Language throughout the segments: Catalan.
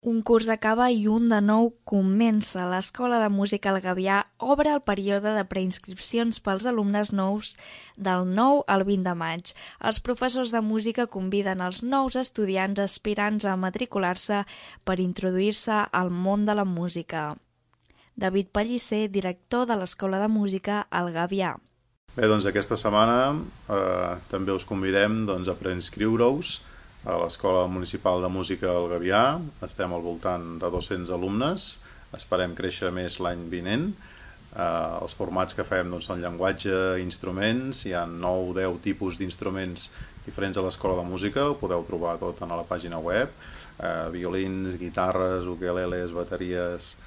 Un curs acaba i un de nou comença. L'Escola de Música El Gavià obre el període de preinscripcions pels alumnes nous del 9 al 20 de maig. Els professors de música conviden els nous estudiants aspirants a matricular-se per introduir-se al món de la música. David Pellicer, director de l'Escola de Música El Gavià. Bé, doncs aquesta setmana també us convidem a preinscriure-us a l'Escola Municipal de Música El Gavià. Estem al voltant de 200 alumnes, esperem créixer més l'any vinent. Els formats que fem són llenguatge, instruments, hi ha 9 o 10 tipus d'instruments diferents a l'Escola de Música, ho podeu trobar tot a la pàgina web, violins, guitarres, ukeleles, bateries,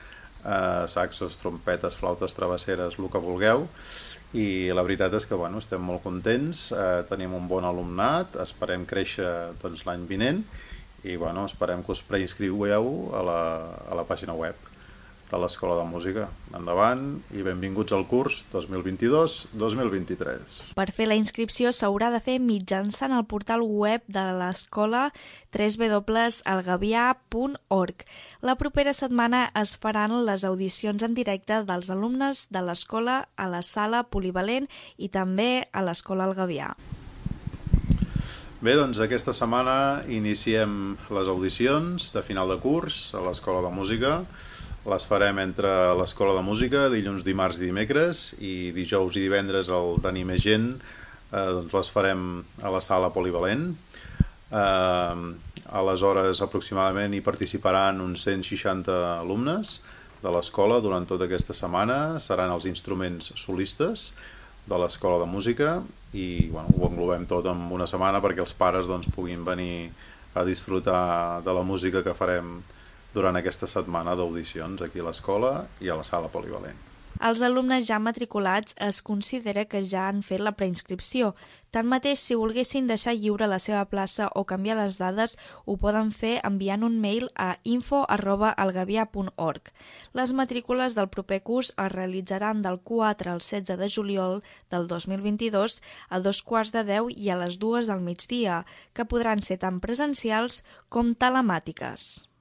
saxos, trompetes, flautes travesseres, el que vulgueu. I la veritat és que estem molt contents, tenim un bon alumnat, esperem créixer l'any vinent i esperem que us preinscriueu a la pàgina web de l'Escola de Música. Endavant i benvinguts al curs 2022-2023. Per fer la inscripció s'haurà de fer mitjançant el portal web de l'escola www.elgavià.org. La propera setmana es faran les audicions en directe dels alumnes de l'escola a la sala polivalent i també a l'Escola El Gavià. Bé, doncs aquesta setmana iniciem les audicions de final de curs a l'Escola de Música. Les farem entre l'Escola de Música, dilluns, dimarts i dimecres, i dijous i divendres el tenir més gent, les farem a la sala polivalent. Aleshores, aproximadament hi participaran uns 160 alumnes de l'escola durant tota aquesta setmana. Seran els instruments solistes de l'Escola de Música i ho englobem tot en una setmana perquè els pares puguin venir a disfrutar de la música que farem durant aquesta setmana d'audicions aquí a l'escola i a la sala polivalent. Els alumnes ja matriculats es considera que ja han fet la preinscripció. Tanmateix, si volguessin deixar lliure la seva plaça o canviar les dades, ho poden fer enviant un mail a info@elgavià.org. Les matrícules del proper curs es realitzaran del 4 al 16 de juliol del 2022 a 9:15 i a les 2 del migdia, que podran ser tant presencials com telemàtiques.